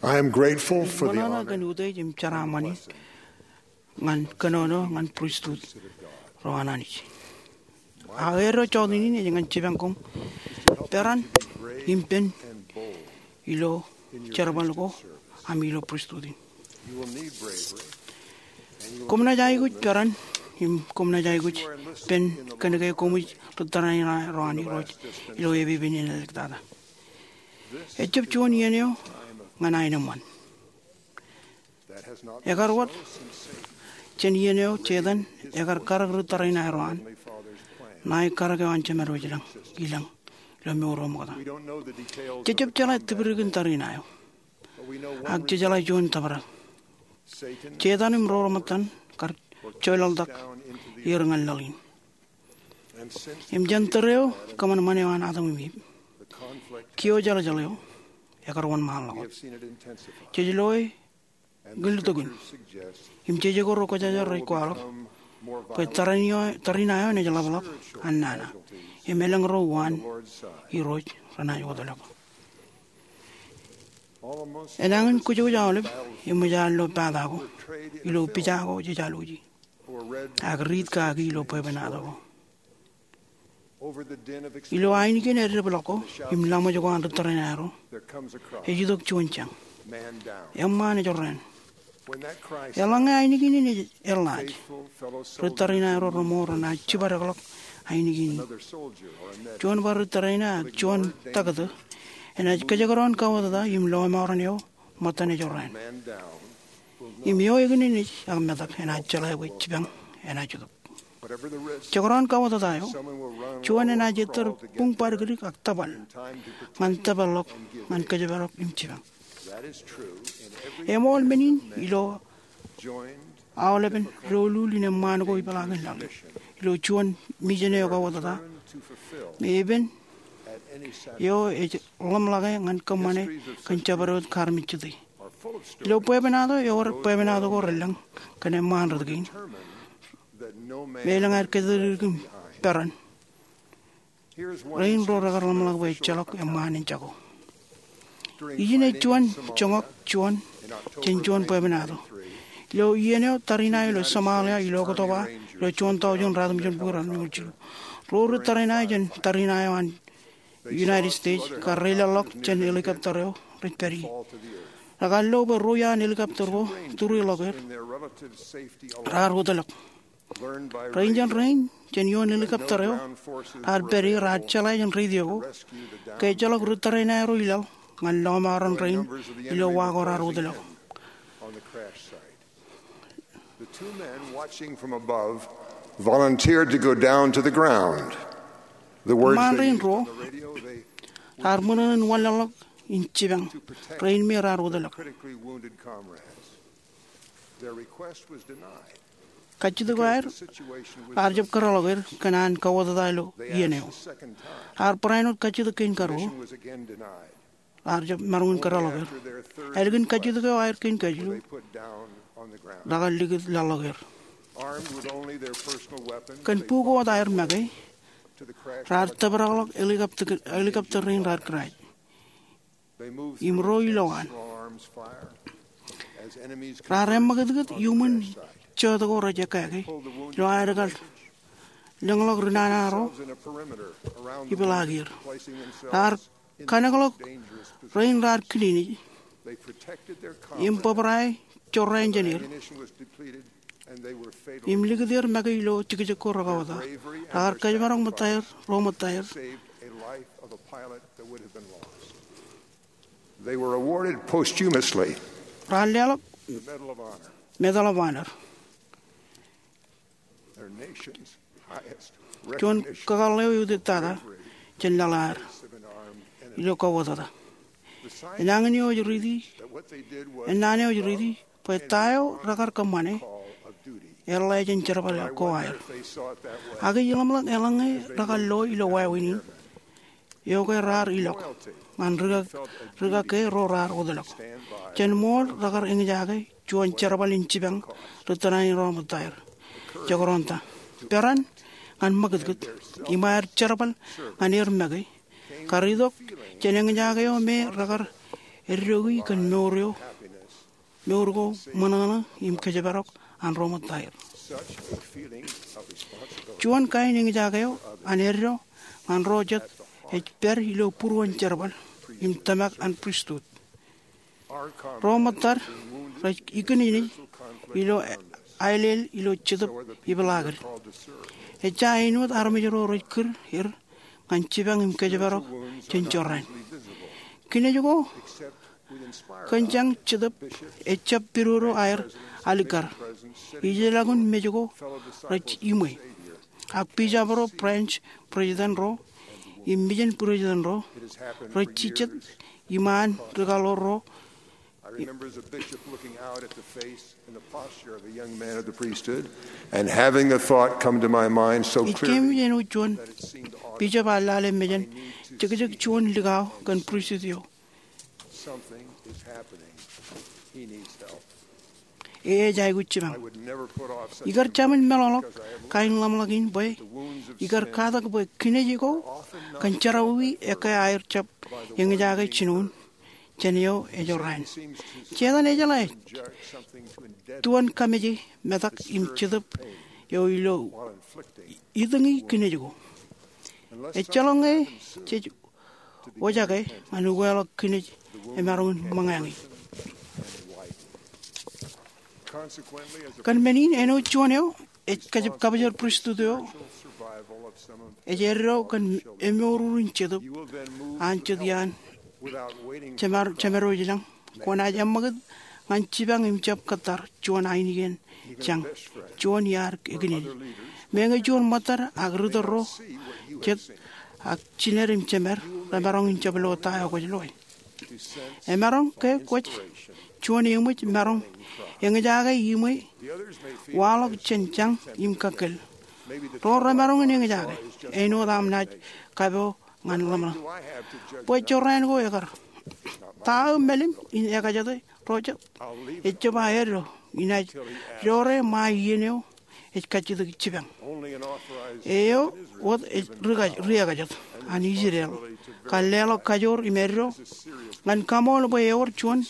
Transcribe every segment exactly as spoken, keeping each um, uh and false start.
I am grateful for the honor. Im ṃōṇōṇō kōn utiej im jeraaṃṃan in ñan kōnono ñan pristut ro an Anij. Ak eddo jọteen in ej ñan jipañ koṃ peran im pen ilo jerbal ko aṃ ilo pristut in. Koṃ naaj aikuj peran im koṃ naaj aikuj pen kōnke koṃij ri tōre in ro an Irooj ilo epepen in āliktata. Ejjab juon iien eo ñan aenōṃṃan. Ekar wōt jān iien eo Setan ekar karōk ri tōre in aerro an ṇae karōk eo an Jemedwōj ilañ, ilañ ilo mour eo ṃokta. Jejjab jeḷā tipdikdik in tariṇae eo, ak jejeḷā juon tōprak. Setan im ro reṃōttan kar joḷọktak er ñan laḷ in. Im jān tōre eo kōṃanṃan eo an Adam im Iv, kiiō jeḷājeḷ eo ekar wōnṃaanḷọk wōt. Jej loe kiltok in im jej ko ro kwōjarjar rej kwaḷọk bwe tariṇae eo, tariṇae eo enaaj ḷapḷap an nana im elōñ ro uwaan Irooj renaaj wōtlọk. Enañin kōjwōj aolep eṃōj ad lo pata ko ilo pija ko jej alwōji ak riit kaki ilo bwebwenato ko. Ilo ainikien eddeblọk ko im laṃōj ko an ri tōre in aerro, ej itok juon jañ. Eṃṃaan ejorrāān. Eḷaññe ainikien in ej eḷḷaaj, ri tōre in aerro reṃool renaaj jibadekḷọk ainikien in. Juon bar ri tōre in ak juon taktō enaaj kōjekdọọn kauwōtata im lọmọọren eo ṃōttan ejorrāān. Im eo ekōn enaaj metak enaaj jeḷā bwe jipañ enaaj itok. Jekdọọn kauwōtata eo, juon enaaj ettōr buñ badikdik ak tōpal ñan tōpar ḷọk ñan kōjparok im jipañ. Eṃool men in ilo aolepen doulul in eṃṃaan ko ipeḷaakin laḷ in ilo juon mijen eo kauwōtata, me epen eo ej ḷōmṇake ñan kōṃṃane kōn jabdewōt kaarmejjete. Ilo bwebwenato ewōr bwebwenato ko relōñ kōn eṃṃaan rot kein me elōñ aer kōtdikdik im peran rein ro rekar ḷōmṇak bwe ejjeḷọk eṃṃaan in jako. Ijin ej juon joñak juon jān juon bwebwenato. Ilo iien eo tariṇae eo ilo Somalia ilo Oktoba ilo juon taujin ratimjuonbukwi ratimjuonbukwi jilu, ro ri tariṇae jān tariṇae eo an United States kar reilaḷḷọk jān helicopter eo rej pād ie. Rekar lo bwe ro iaan helicopter ko tūreḷọk er raar wōtlọk. Rein jān rein jān ioon helicopter eo raar pād ie raar jeḷā jān radio ko ke ejjeḷọk ri tōre in aerro ilaḷ ñan lọmọọren rein ilo wa ko raar wōtlọk. The two men watching from above volunteered to go down to the ground. The words they used on the radio, they eṃṃaan rein ruo raar ṃōṇōṇō in wanlaḷḷọk in jipañ rein me raar wōtlọk. Critically wounded comrades. Their request was denied. Kajjitōk eo aer raar jab kōtḷọk er kōn an kauwōtata ilo iien eo. Raar barāinwōt kajjitōk kein karuo. Raar jab maroñ in kōtḷọk er. Ālikin kajjitōk eo aer kein kajilu, rekar likūt laḷḷọk er. Kōn bukot aer make, raar tōprakḷọk helicopter rein raar kōrā im ro ilowaan. Raar eṃṃakūtkūt iuṃwin jota ko rej ekkā ke ilo aer kar lōñḷọk ri nana ro ipeḷaak er. Raar kanekḷọk rein raar kilinej im bōbrae jorrāān jān er im likūt er make ilo jekjek ko rekauwōta. Rekar kōjparok ṃōttaer ro ṃōttaer. They were awarded posthumously. Raar leḷọk Medal of Honor. Juon kakōḷḷe eo eutiej tata jān laḷ eo aer ilo kauwōtata. Enañin eo ej riiti, ennaan eo ej riiti bwe ta eo rekar kōṃṃane eḷḷā jān jerbal ko aer. Ak ij ḷōmṇak eḷaññe rekar lo ilo wāween in eo ke raar ilọk ñan rikaki ro raar wōtlọk. Jān ṃool rekar eñjake juon jerbal in jipañ ri tōre in aerro ṃōttaer. Jekdọọn ta, peran ñan ṃakūtkūt im aer jerbal ñan er make kar itok jān eñjake eo me rekar eddoiki kōn mour eo, mour ko ṃōṇōṇō im kōjparok an ro ṃōttaer. Juon kain eñjake eo an eddo ñan ro jet ej pād ilo būruon jerbal im tōmak an pristut. Ro ṃōttad rej ikinejnej ilo aelel ilo Jetōb Ipeḷaakin. Ejja āinwōt armej ro rej kūr er ñan jipañ im kōjparok jān jorrāān. Kinej ko kōn jañ Jetōb ejjab pidodo aer alikkar. Ijeḷọkin mej ko rej iṃwe. Ak bishop ro, branch president ro, im mission president ro rej jijet iṃaan rikaḷoor ro. I remember as a bishop looking out at the face and the posture of a young man of the priesthood, and having the thought come to my mind so clearly. Ij keememej āinwōt juon bishop ear lale mejān jekjek juon likao kōn pristut eo. Something is happening. He needs help. Eō ej aikuj jipañ. Ikar jemān meḷọkḷọk kain ḷōmṇak in bwe ikar katak bwe kinej ko kōn jerọwiwi ekkā aer jab eñjake jinoin jān eo ejorrāān. Setan ejeḷā ej tuon kameje metak im Jetōb eo ilo itōñi kinej ko. Ejjeḷọk ñe jej wōjake ñan ukeḷọk kinej emaroñ in ṃōñā ñe. Kōn men in, āinwōt juon eo ej kab-, kabōjor pristut eo, ej eddo kōn emour in Jetōb an jet iaan jemad-, jemadwōj lañ. Kwōnaaj eṃṃakūt ñan jipañ im jab kōttar juon ainikien jañ, juon iaad ekinene. Meñe juon ṃōttad ak ritōl ro jet ak jined im jemed remaroñ in jab lo ta eo kwōj loe. Emaroñ ke kwōj juon eṃōj maroñ eñjake iṃwe waḷọk jān jañ im kakkōl. Ro remaroñ in eñjake āinwōt aṃ naaj kapo ñan ḷōmṇak. Bwe jorrāān ko ekar. Ta aō mālim in ekajete ro jet? Ejjab aō eddo, inaaj dore ṃae iien eo ej kajjitōk jipañ. Eo wōt ej ri-, riekajet an Israel kar leḷọk kajoor im eddo ñan kaṃool bwe ewōr juon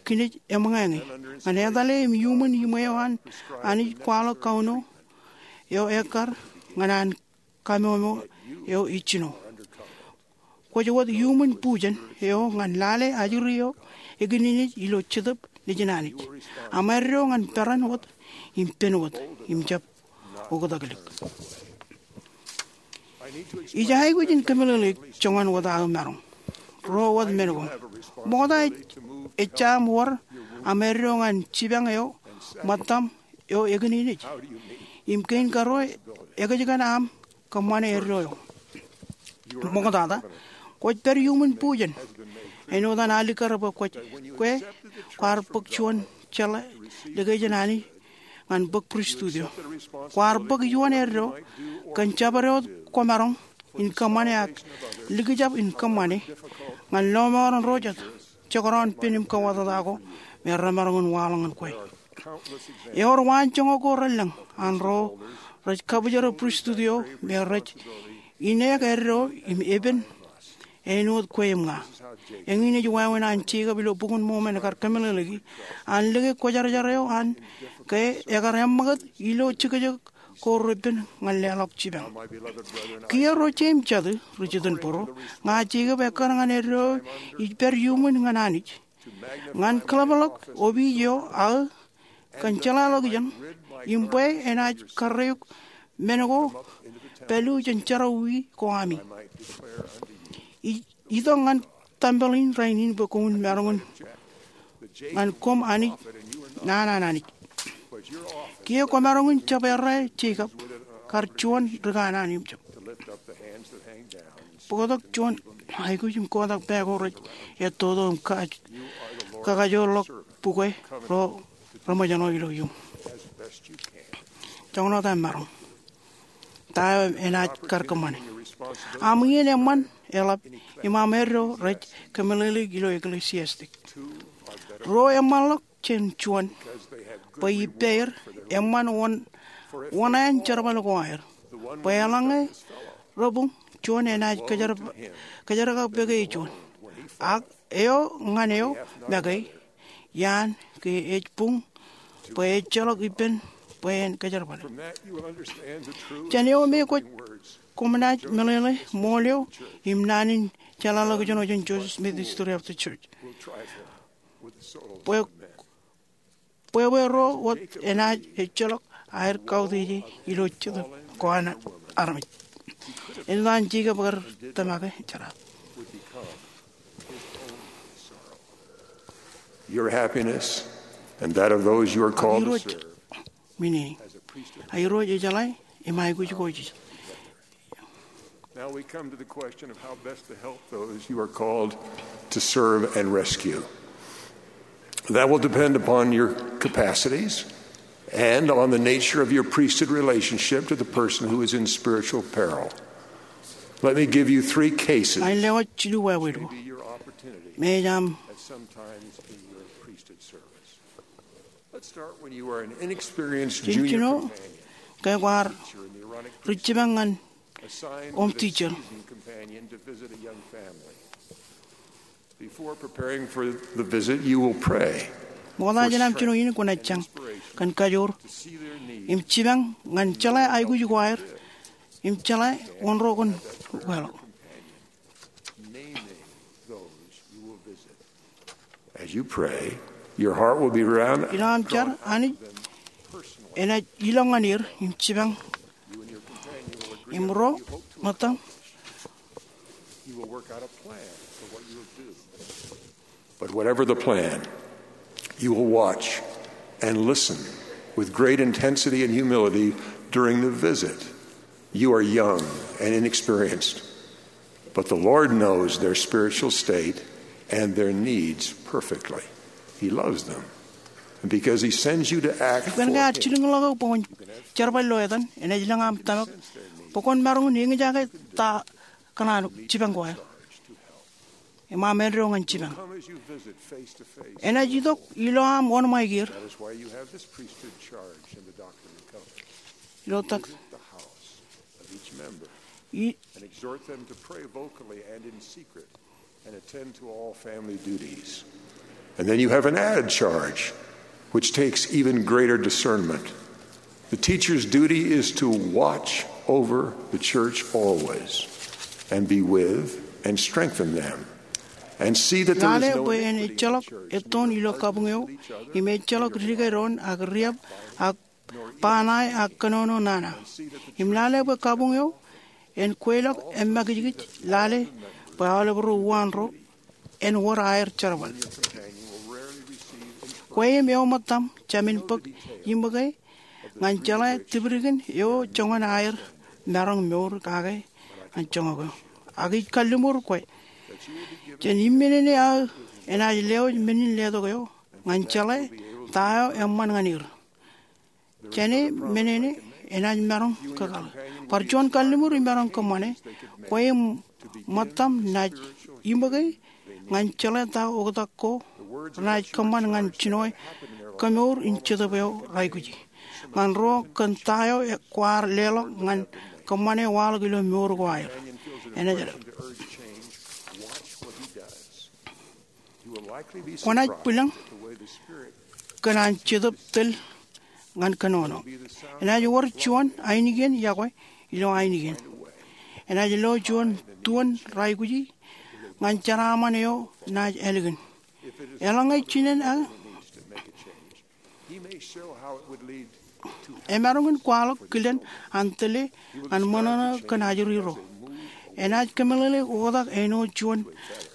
kinej eṃōñā ñe ñan etale im iuṃwin iṃwe eo an Anij kwaḷọk kauno eo ekkar ñan an kamomo eo ej jino. Kwōj wōt iuṃwin bujen eo ñan lale ajri eo ekinenej ilo Jetōb Nejin Anij. Aṃ eddo ñan peran wōt im pen wōt im jab oktak lik. Ij aikuj in kōmeḷeḷeik joñan wōt aō maroñ. Ruo wōt men ko. Ṃokta ej, ejja aṃ wōr aṃ eddo ñan jipañ eo ṃōttaṃ eo ekinenej. Im kein karuo, ekōjkan aṃ kōṃṃane eddo eo. Ṃoktata, kwōj pād iuṃwin bujen āinwōt an alikkar bwe kwōj, kwe kwaar bōk juon jeḷā likjab jān Anij ñan bōk pristut eo. Kwaar bōk iuṃwin eddo kōn jabdewōt kwōmaroñ in kōṃṃane ak likjab in kōṃṃane ñan lọmọọren ro jet jekdọọn pen im kōwōtata ko me remaroñ in waḷọk ñan kwe. Ewōr waanjoñak ko relōñ an ro rej kabōjor pristut eo me rej ineek eddo im epen āinwōt kwe im ña. Eñin ej wāween an Jekob ilo Bok in Mormon ekar kōmeḷeḷeiki an lōke kwōjarjar eo an ke ekar eṃṃakūt ilo jekjek ko repen ñan leḷọk jipañ. Kiiō ro jeiū im jatū ri jitōnbōro, ña Jekob ekkar ñan eddo ij pād iuṃwin ñan Anij ñan kōḷapḷọk opiij eo aō kōn jeḷāḷọkjeṇ im bwe enaaj karreoik men ko palu jān jerọwiwi ko ami. Ij itok ñan tempel in rainin bwe koṃwin maroñ in ñan koṃ Anij, naan an Anij. Kiiō kwōmaroñ in jab errā Jekob kar juon ri kanaan im jab bōktok juon aikuj im kotak pā ko rej ettoto im ka-, kakajoorḷọk bukwe ro reṃōjṇọ ilo iuṃ. Joñan wōt aṃ maroñ. Ta eo enaaj kar kōṃṃane. Aṃ iien eṃṃan eḷap im aṃ eddo rej kōmeḷeḷeik ilo Ecclesiastes. Ruo eṃṃanḷọk jān juon bwe ippāer eṃṃan wōn, wōṇāān jerbal ko aer. Bwe eḷaññe rebuñ, juon enaaj kōjera-, kōjerakpeke juon. Ak eo ñan eo make, iaan ke ej buñ bwe ejjeḷọk ippān bwe en kōjerbale. Jān eo me kwōj koṃ naaj meḷeḷe ṃool eo im naan in jeḷāḷọkjeṇ eo jān Joseph Smith History of the Church. Bwe bwe ro wōt enaaj ejjeḷọk aer kautiej ilo jetōb ko an armej. Eñtaan Jekob kar tōmake jeraaṃṃan. Your happiness and that of those you are called to serve. Irooj, men in, a Irooj ejeḷā im aikuj ko ijin. Now we come to the question of how best to help those you are called to serve and rescue. That will depend upon your capacities and on the nature of your priesthood relationship to the person who is in spiritual peril. Let me give you three cases. Ña in lewōj jilu wāween ko. Maybe your opportunity. Maybe aṃ. At some times in your priesthood service. Let's start when you are an inexperienced junior companion. Jino ke kwaar ri jipañ ñan oṃ teacher. Assigned with a seasoned companion to visit a young family. Before preparing for the visit, you will pray. Ṃokta jān aṃ jino in kwōnaaj jañ kōn kajoor im jipañ ñan jeḷā aikuj ko aer im jeḷā wōn ro kōn ukeḷọk. Naming those you will visit. As you pray, your heart will be around. Ilo aṃ jar, Anij enaaj ilọk ñan er im jipañ. You and your companion will agree on what you hope to accomplish. Im ro ṃōttaṃ. You will work out a plan for what you will do. But whatever the plan, you will watch and listen with great intensity and humility during the visit. You are young and inexperienced, but the Lord knows their spiritual state and their needs perfectly. He loves them. And because he sends you to act for him, ekwōn ke ear jilkinḷọk eok bwe kwōn jerbal ilo etan, enaaj lōñ aṃ tōmak bwe kwōn maroñ in eñjake ta kōṇaan jipañ ko aer. Im aṃ eddo ñan jipañ. Enaaj itok ilo aṃ wōnṃaik er. Ilo tak. Ij- And exhort them to pray vocally and in secret and attend to all family duties. And then you have an added charge, which takes even greater discernment. The teacher's duty is to watch over the church always and be with and strengthen them and see that there is no iniquity in the church. Lale bwe en ejjeḷọk ettoon ilo kabuñ eo im ejjeḷọk dike doon ak riab ak ba ṇae ak kōnono nana. Im lale bwe kabuñ eo en kweilọk emakijkij lale bwe aolep ro uwaan ro en wōr aer jerbal. Kwe im eo ṃōttaṃ jāmin bōk iṃōke ñan jeḷā tipdikdik eo joñan aer maroñ mour kake ñan joñak eo. Ak ij kalliṃur kwe jān im men in aō enaaj lewōj men in letok eo ñan jeḷā ta eo eṃṃan ñan er. Jān men in enaaj maroñ kōkaḷ. Bar juon kalliṃur imaroñ kōṃṃane, kwe im ṃōttaṃ naaj iṃōke ñan jeḷā ta oktak ko renaaj kōṃṃan ñan jinoe kemour in jetōb eo reaikuji. Ñan ro kōn ta eo kwaar leḷọk ñan kōṃṃane waḷọk ilo mour ko aer. Enaaj Kwōnaaj bwilōñ kōn an Jetōb tōl ñan kōnono. Enaaj wōr juon ainikien yokwe ilo ainikien. Enaaj lo juon tuon reaikuji ñan jeraaṃṃan eo naaj ālikin. Eḷaññe jinen aō emaroñ in kwaḷọk kilen an tōle an ṃōṇōṇō kōn ajri ro. Enaaj kōmeḷeḷe oktak āinwōt juon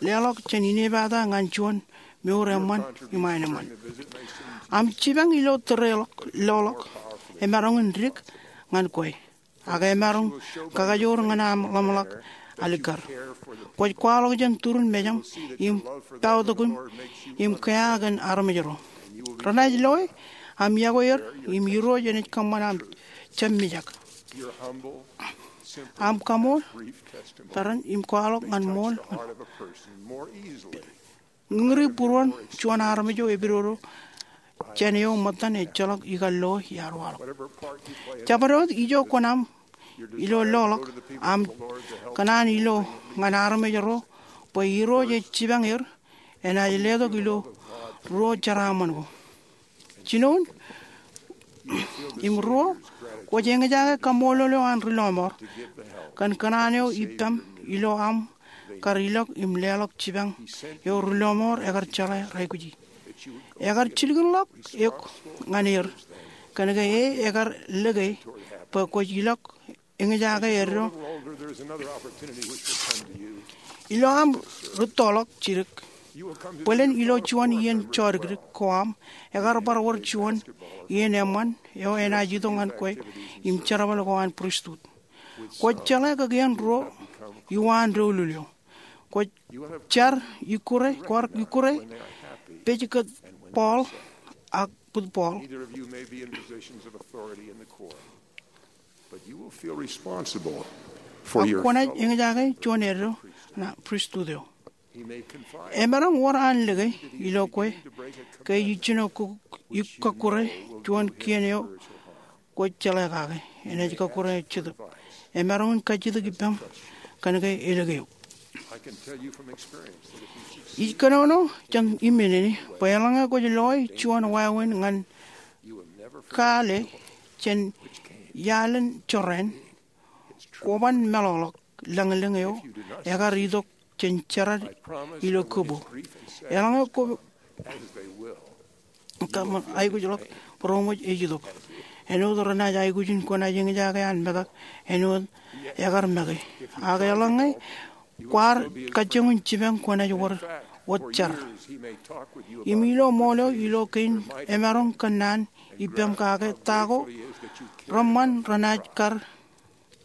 leḷọk jān inepata ñan juon mour eṃṃan im aenōṃṃan. Aṃ jipañ ilo tōre ḷọk, loḷọk, emaroñ in dik ñan kwe. Ak emaroñ kakajoor ñan aṃ ḷōmṇak alikkar. Kwōj kwaḷọk jān turin mejaṃ im paotok im kea kōn armej ro. Renaaj loe aṃ yokwe er im Irooj enaaj kōṃṃan aṃ jab mijak. Aṃ kaṃool tarrin im kwaḷọk ñan ṃool ñan ri būruon juon armej eo epidodo jān eo ṃōttan ejjeḷọk ikar lo iar waḷọk. Jabdewōt ijo kwōn aṃ ilo loḷọk, aṃ kōṇaan ilo ñan armej ro bwe Irooj ej jipañ er enaaj letok ilo ruo jeraaṃṃan ko. Jinoin im ruo, kwōj eñjake kaṃṃoolol eo an ri lọmọọr kōn kōṇaan eo ippaṃ ilo aṃ kar ilọk im leḷọk jipañ eo ri lọmọọr ekar jeḷā reaikuji. Ekar jilkinḷọk eok ñan er kōnke e ekar lōke bwe kwōj ilọk eñjake eddo ilo aṃ rūttoḷọk jidik. Bōlen ilo juon iien jodikdik ko aṃ, ekar bar wōr juon iien eṃṃan eo enaaj itok ñan kwe im jerbal ko an pristut. Kwōj jeḷā kōn iien ruo iwaan doulul eo. Kwōj jar ikkure, kwaar ikkure, pej kōn Paul ak bōd Paul. Either of you may be in positions of authority in the Corps, but you will feel responsible for your fellow. Ak kwōnaaj eñjake juon eddo ṇa pristut eo. He may confide. Emaroñ wōr an lōke ilo kwe ke ij jino kōkkure juon kien eo kwōj jeḷā kake enaaj kōkkure eo Jetōb. Emaroñ in kajjitōk ippaṃ kōnke elōke eok. I can tell you from experience that if you succeed, ij kōnono jān iminene bwe eḷaññe kwōj loe juon wāween ñan kaale jān iaḷ in jorrāān, kwōban meḷọkḷọk lañlōñ eo ekar itok jān jerad ilo kōbo. Eḷaññe kwō kōṃṃan aikuj ḷọk, būroṃōj ej itok. Āinwōt renaaj aikuj in kwōnaaj eñjake an metak, āinwōt ekar make. Ak eḷaññe kwaar kajjioñ in jipañ, kwōnaaj wōr wōt jar. Im ilo ṃool eo ilo kein emaroñ kōnnaan ippaṃ kake ta ko reṃṃan renaaj kar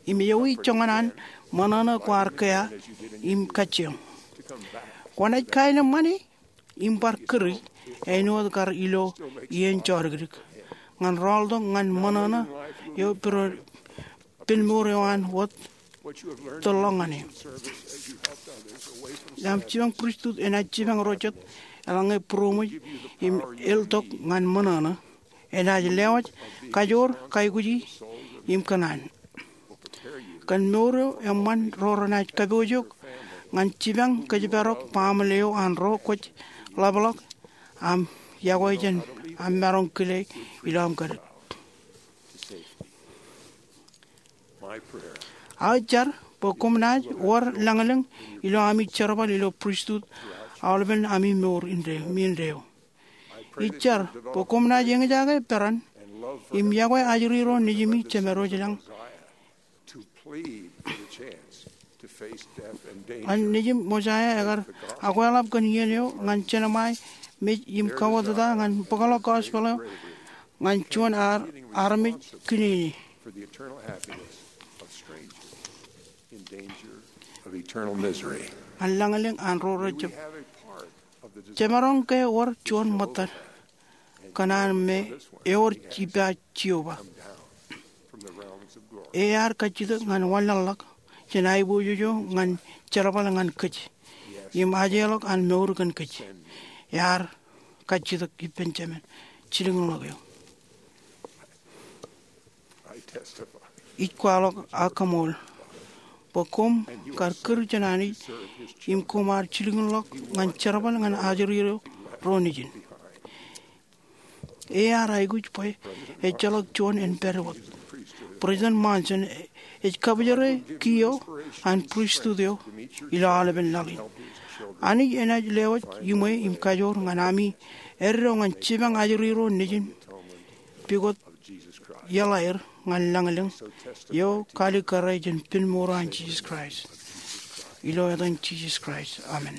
im ewi joñan an ṃōṇōṇō kwaar kea im kajjioñ. Kwōnaaj kaeneṃṃani im bar kūri āinwōt kar ilo iien jodikdik ñan rọọltok ñan ṃōṇōṇō eo piro penmour eo an wōt tōl ḷọk ñan e. Aṃ jipañ pristut enaaj jipañ ro jet eḷaññe būroṃōj im eltok ñan ṃōṇōṇō. Enaaj lewōj kajoor, kaikuji im kōṇaan. Kōn mour eo eṃṃan ro renaaj kapoojook ñan jipañ kōjparok baaṃle eo an ro kwōj ḷapḷọk aṃ yokwe jān aṃ maroñ kile ilo aṃ kōdōd. Aō jar bwe koṃ naaj wōr lañlōñ ilo ami jerbal ilo pristut aolepen ami mour indeeo, mi indeeo. Ij jar bwe koṃ naaj eñjake peran im yokwe ajri ro nejimi jemedwōj lañ. An nejim Mosiah ekar akweḷap kōn iien eo ñan jeṇe ṃae mej im kawōtata ñan bōkḷọk gospel eo ñan juon armej kiniini. Ñan lañlōñ an ro rejab. Jemaroñ ke wōr juon ṃōttad kōṇaan me ewōr ippa Jeova. Ear kajjitōk ñan wanlaḷḷọk jān aiboojoj eo ñan jerbal ñan kōj im ajeḷọk an mour kōn kōj. Ear kajjitōk ippān Jemān jilkinḷọk eo. Ij kwaḷọk ak kaṃool bwe koṃ kar kūr jān Anij im koṃ ar jilkinḷọk ñan jerbal ñan ajri ro nejin. Ear aikuj bwe ejjeḷọk juon en pād wōt. President Monson ej kabōjrā kiiō an pristut eo ilo aolepen laḷ in. Anij enaaj lewōj iṃwe im kajoor ñan ami eddo ñan jipañ ajri ro nejin pukot iaḷ aer ñan lañlōñ eo kaalikkare jān penmour an Jisōs Kraist. Ilo etan Jisōs Kraist, amen.